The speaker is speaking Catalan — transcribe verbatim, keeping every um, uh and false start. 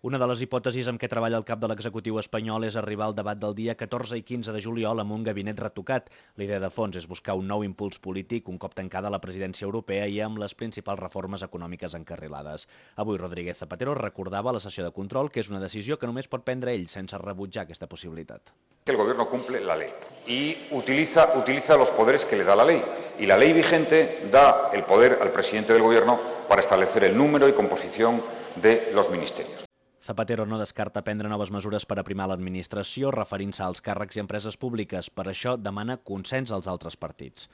Una de les hipòtesis amb què treballa el cap de l'executiu espanyol és arribar al debat del dia catorze i quinze de juliol amb un gabinet retocat. La idea de fons és buscar un nou impuls polític un cop tancada la presidència europea i amb les principals reformes econòmiques encarrilades. Avui Rodríguez Zapatero recordava a la sessió de control que és una decisió que només pot prendre ell sense rebutjar aquesta possibilitat. Que el Gobierno cumple la ley y utiliza, utiliza los poderes que le da la ley. Y la ley vigente da el poder al presidente del Gobierno para establecer el número y composición de los ministerios. Zapatero no descarta prendre noves mesures per aprimar l'administració referint-se als càrrecs i empreses públiques. Per això demana consens als altres partits.